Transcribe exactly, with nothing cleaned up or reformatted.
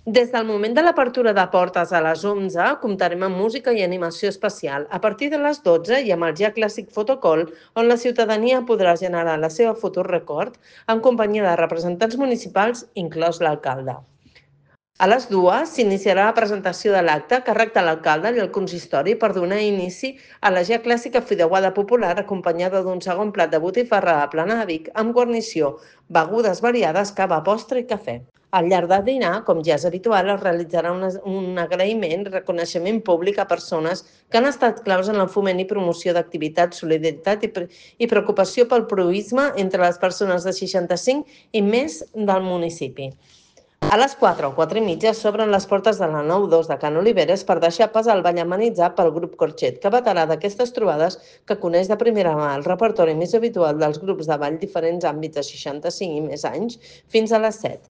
Des del moment de l'apertura de portes a les onze, comptarem amb música i animació especial. A partir de les dotze hi ha el ja clàssic fotocall, on la ciutadania podrà generar la seva fotorecord en companyia de representants municipals, inclòs l'alcalde. A les dues s'iniciarà la presentació de l'acte a càrrec de l'alcalde i el consistori per donar inici a la ja clàssica fideuada popular acompanyada d'un segon plat de botifarra a plana de Vic amb guarnició, begudes variades, cava, postre i cafè. Al llarg del dinar, com ja és habitual, es realitzarà un, un agraïment i reconeixement públic a persones que han estat claus en el foment i promoció d'activitats, solidaritat i, pre i preocupació pel proïsme entre les persones de seixanta-cinc i més del municipi. A les quatre o quatre i mitja s'obren les portes de la nou dos de Can Oliveres per deixar pas al ball amenitzat pel grup Corxet, que veterà d'aquestes trobades que coneix de primera mà el repertori més habitual dels grups de ball diferents àmbits de seixanta-cinc i més anys fins a les set.